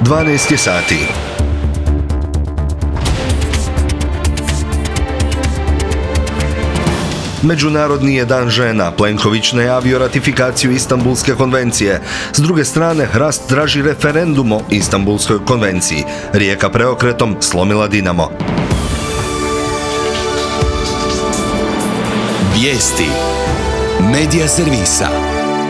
12 je sati. Međunarodni je dan žena. Plenković najavio ratifikaciju Istanbulske konvencije. S druge strane, Hrast traži referendum o Istanbulskoj konvenciji. Rijeka preokretom slomila Dinamo. Vijesti Medija servisa.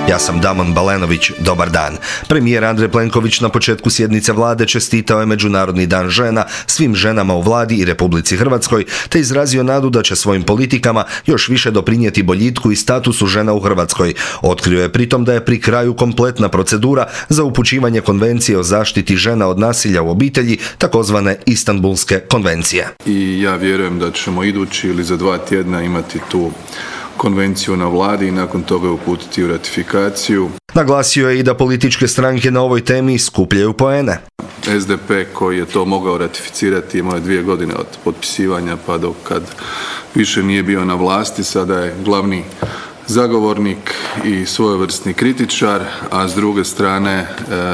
Ja sam Damon Balenović, dobar dan. Premijer Andrej Plenković na početku sjednice vlade čestitao je Međunarodni dan žena svim ženama u vladi i Republici Hrvatskoj, te izrazio nadu da će svojim politikama još više doprinijeti boljitku i statusu žena u Hrvatskoj. Otkrio je pritom da je pri kraju kompletna procedura za upućivanje konvencije o zaštiti žena od nasilja u obitelji, takozvane Istanbulske konvencije. I ja vjerujem da ćemo idući ili za 2 tjedna imati tu konvenciju na vladi i nakon toga uputiti u ratifikaciju. Naglasio je i da političke stranke na ovoj temi skupljaju poene. SDP koji je to mogao ratificirati imao je 2 godine od potpisivanja pa do kad više nije bio na vlasti, sada je glavni zagovornik i svojevrsni kritičar, a s druge strane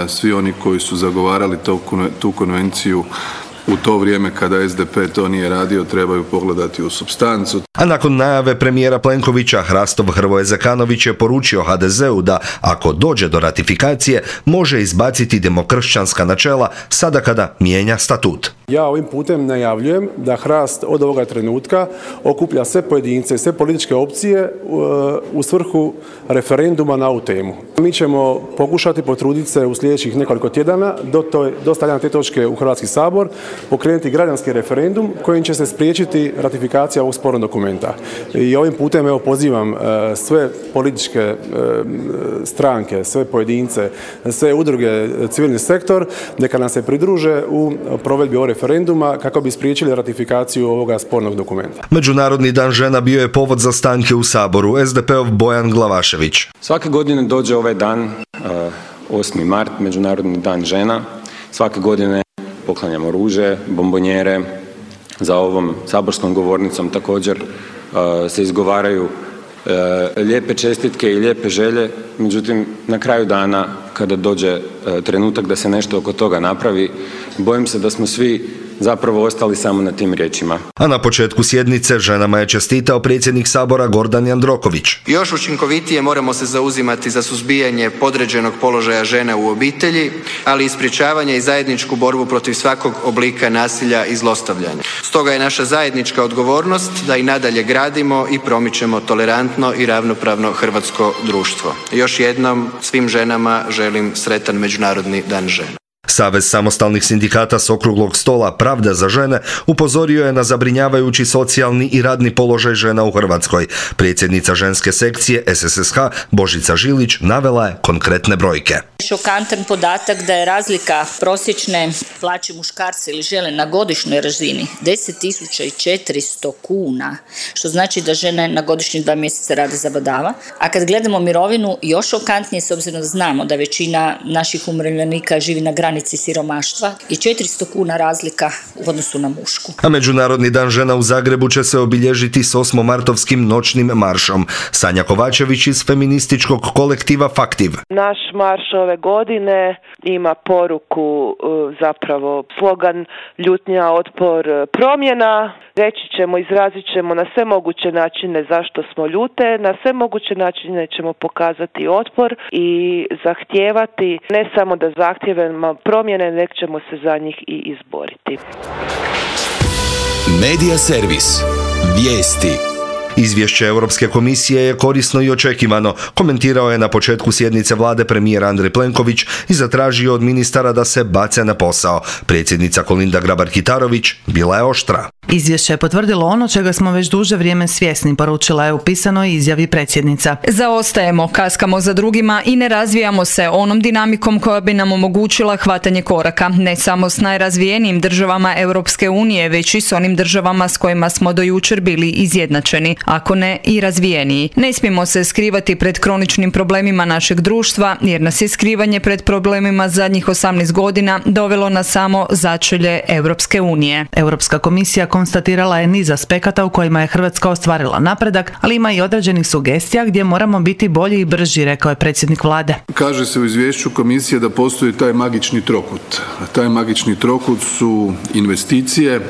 svi oni koji su zagovarali tu konvenciju u to vrijeme kada SDP to nije radio trebaju pogledati u supstancu. A nakon najave premijera Plenkovića, Hrastov Hrvoje Zekanović je poručio HDZ-u da, ako dođe do ratifikacije, može izbaciti demokršćanska načela sada kada mijenja statut. Ja ovim putem najavljujem da Hrast od ovoga trenutka okuplja sve pojedince, sve političke opcije u svrhu referenduma na ovu temu. Mi ćemo pokušati potruditi se u sljedećih nekoliko tjedana do stavljanja te točke u Hrvatski sabor pokrenuti građanski referendum kojim će se spriječiti ratifikacija ovog spornog dokumenta. I ovim putem pozivam sve političke stranke, sve pojedince, sve udruge, civilni sektor, neka nam se pridruže u provedbi ovog referenduma kako bi spriječili ratifikaciju ovoga spornog dokumenta. Međunarodni dan žena bio je povod za stanke u Saboru. SDP-ov Bojan Glavašević. Svake godine dođe ovaj dan, 8. mart, Međunarodni dan žena. Svake godine poklanjamo ruže, bombonjere. Za ovom saborskom govornicom također se izgovaraju lijepe čestitke i lijepe želje. Međutim, na kraju dana, kada dođe trenutak da se nešto oko toga napravi, bojim se da smo svi zapravo ostali samo na tim riječima. A na početku sjednice ženama je čestitao predsjednik Sabora Gordan Jandroković. Još učinkovitije moramo se zauzimati za suzbijanje podređenog položaja žena u obitelji, ali i sprječavanje i zajedničku borbu protiv svakog oblika nasilja i zlostavljanja. Stoga je naša zajednička odgovornost da i nadalje gradimo i promičemo tolerantno i ravnopravno hrvatsko društvo. Još jednom svim ženama želim sretan Međunarodni dan žena. Savez samostalnih sindikata s okruglog stola Pravda za žene upozorio je na zabrinjavajući socijalni i radni položaj žena u Hrvatskoj. Predsjednica ženske sekcije SSSH Božica Žilić navela je konkretne brojke. Šokantan podatak da je razlika prosječne plaće muškarca ili žene na godišnjoj razini 10.400 kuna, što znači da žene na godišnjih 2 mjeseca rade zabadava. A kad gledamo mirovinu, još šokantnije, s obzirom da znamo da većina naših umirovljenika živi na granici siromaštva i 400 kuna razlika u odnosu na mušku. A Međunarodni dan žena u Zagrebu će se obilježiti s 8-martovskim noćnim maršom. Sanja Kovačević iz feminističkog kolektiva Faktiv. Naš marš ove godine ima poruku, zapravo slogan ljutnja, otpor, promjena. Reći ćemo, izrazit ćemo na sve moguće načine zašto smo ljute, na sve moguće načine ćemo pokazati otpor i zahtijevati ne samo da zahtijevamo promjene, nek ćemo se za njih i izboriti. Medija servis. Vijesti. Izvješće Europske komisije je korisno i očekivano, komentirao je na početku sjednice vlade premijer Andrej Plenković i zatražio od ministara da se bace na posao. Predsjednica Kolinda Grabar-Kitarović bila je oštra. Izvješće je potvrdilo ono čega smo već duže vrijeme svjesni, poručila je u pisanoj izjavi predsjednica. Zaostajemo, kaskamo za drugima i ne razvijamo se onom dinamikom koja bi nam omogućila hvatanje koraka, ne samo s najrazvijenijim državama Europske unije, već i s onim državama s kojima smo do jučer bili izjednačeni, ako ne i razvijeniji. Ne smijemo se skrivati pred kroničnim problemima našeg društva, jer nas je skrivanje pred problemima zadnjih 18 godina dovelo na samo začelje Europske unije. Europska komisija konstatirala je niz aspekata u kojima je Hrvatska ostvarila napredak, ali ima i određenih sugestija gdje moramo biti bolji i brži, rekao je predsjednik vlade. Kaže se u izvješću komisije da postoji taj magični trokut. Taj magični trokut su investicije,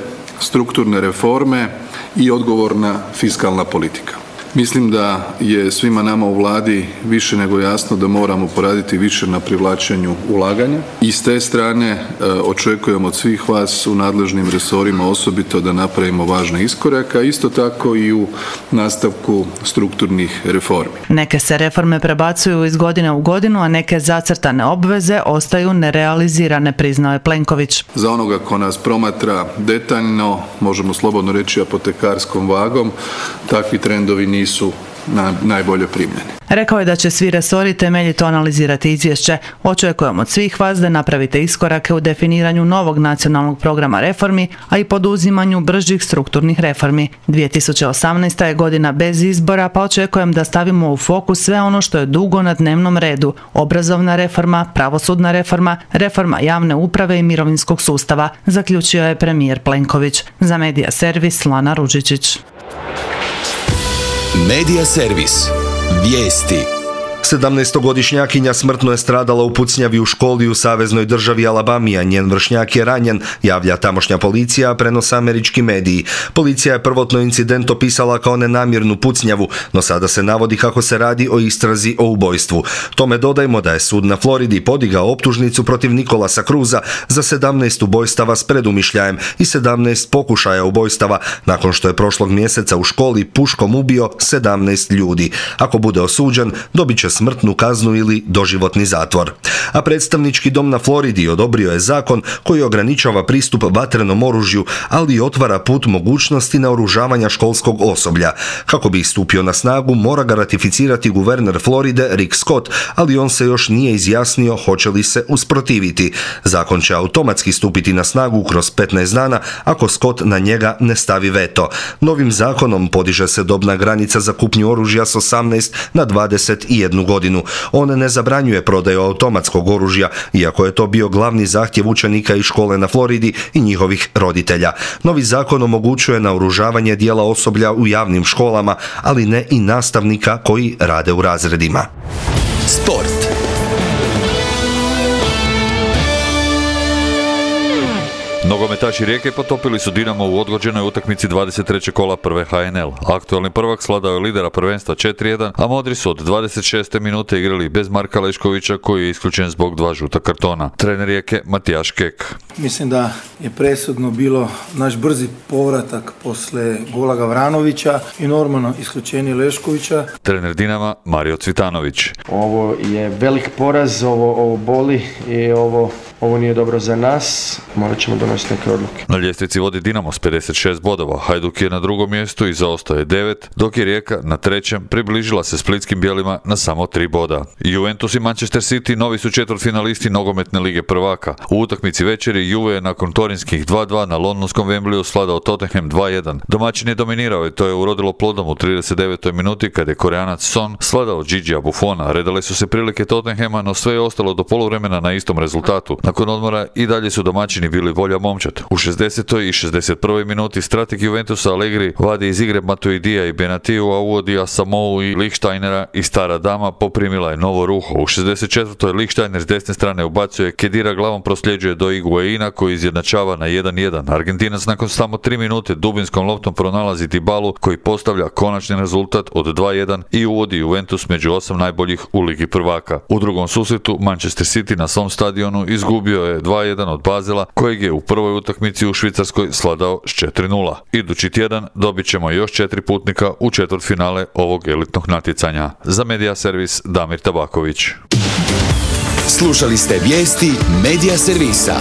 strukturne reforme i odgovorna fiskalna politika. Mislim da je svima nama u vladi više nego jasno da moramo poraditi više na privlačenju ulaganja i s te strane očekujem od svih vas u nadležnim resorima osobito da napravimo važne iskorake, a isto tako i u nastavku strukturnih reformi. Neke se reforme prebacuju iz godine u godinu, a neke zacrtane obveze ostaju nerealizirane, priznao je Plenković. Za onoga ko nas promatra detaljno, možemo slobodno reći apotekarskom vagom, takvi trendovi nisu najbolje primljeni. Rekao je da će svi resori temeljito analizirati izvješće. Očekujemo od svih vas da napravite iskorake u definiranju novog nacionalnog programa reformi, a i poduzimanju bržih strukturnih reformi. 2018. je godina bez izbora, pa očekujem da stavimo u fokus sve ono što je dugo na dnevnom redu. Obrazovna reforma, pravosudna reforma, reforma javne uprave i mirovinskog sustava, zaključio je premijer Plenković. Za Medija servis Lana Ružičić. Medija servis. Vijesti. 17-godišnjakinja smrtno je stradala u pucnjavi u školi u saveznoj državi Alabami, a njen vršnjak je ranjen, javlja tamošnja policija, a prenose američki mediji. Policija je prvotno incident opisala kao nenamjernu pucnjavu, no sada se navodi kako se radi o istrazi o ubojstvu. Tome dodajmo da je sud na Floridi podigao optužnicu protiv Nikolasa Cruza za 17 ubojstava s predumišljajem i 17 pokušaja ubojstava, nakon što je prošlog mjeseca u školi puškom ubio 17 ljudi. Ako bude osuđen, dobit će smrtnu kaznu ili doživotni zatvor. A predstavnički dom na Floridi odobrio je zakon koji ograničava pristup vatrenom oružju, ali i otvara put mogućnosti naoružavanja školskog osoblja. Kako bi stupio na snagu, mora ga ratificirati guverner Floride Rick Scott, ali on se još nije izjasnio hoće li se usprotiviti. Zakon će automatski stupiti na snagu kroz 15 dana ako Scott na njega ne stavi veto. Novim zakonom podiže se dobna granica za kupnju oružja s 18 na 21 godinu. On ne zabranjuje prodaju automatskog oružja, iako je to bio glavni zahtjev učenika iz škole na Floridi i njihovih roditelja. Novi zakon omogućuje naoružavanje dijela osoblja u javnim školama, ali ne i nastavnika koji rade u razredima. Sport. Nogometaši Rijeke potopili su Dinamo u odgođenoj utakmici 23. kola prve HNL. Aktualni prvak svladao je lidera prvenstva 4-1, a modri su od 26. minute igrali bez Marka Leškovića koji je isključen zbog 2 žuta kartona. Trener Rijeke Matijaš Kek. Mislim da je presudno bilo naš brzi povratak posle gola Gavranovića i normalno isključenje Leškovića. Trener Dinama Mario Cvitanović. Ovo je velik poraz, ovo boli i ovo nije dobro za nas. Morat ćemo donositi neke odluke. Na ljestvici vodi Dinamo s 56 bodova, Hajduk je na drugom mjestu i zaostao je 9, dok je Rijeka na trećem približila se splitskim bijelima na samo 3 boda. Juventus i Manchester City novi su četvrtfinalisti nogometne lige prvaka. U utakmici večeri Juve je nakon torinskih 2-2 na londonskom Wembleyu svladao Tottenham 2-1. Domaćin je dominirao i to je urodilo plodom u 39. minuti kad je Koreanac Son svladao Gigija Buffona. Redale su se prilike Tottenhama, no sve je ostalo do poluvremena na istom rezultatu. Nakon odmora i dalje su domaćini bili volja momčad. U 60. i 61. minuti strateg Juventusa Allegri vadi iz igre Matuidija i Benatiju, a uvodi Asamou i Lichtsteinera i stara dama poprimila je novo ruho. U 64. Lichtsteiner s desne strane ubacuje, Kedira glavom prosljeđuje do Higuaina koji izjednačava na 1-1. Argentinac nakon samo 3 minute dubinskom loptom pronalazi Dybalu koji postavlja konačni rezultat od 2-1 i uvodi Juventus među 8 najboljih u ligi prvaka. U drugom susretu Manchester City na svom stadionu izgubio je 2-1 od Basela kojeg je u prvoj utakmici u Švicarskoj svladao s 4-0. Idući tjedan dobit ćemo još 4 putnika u četvrtfinale ovog elitnog natjecanja. Za Medija servis Damir Tabaković. Slušali ste vijesti Medija servisa.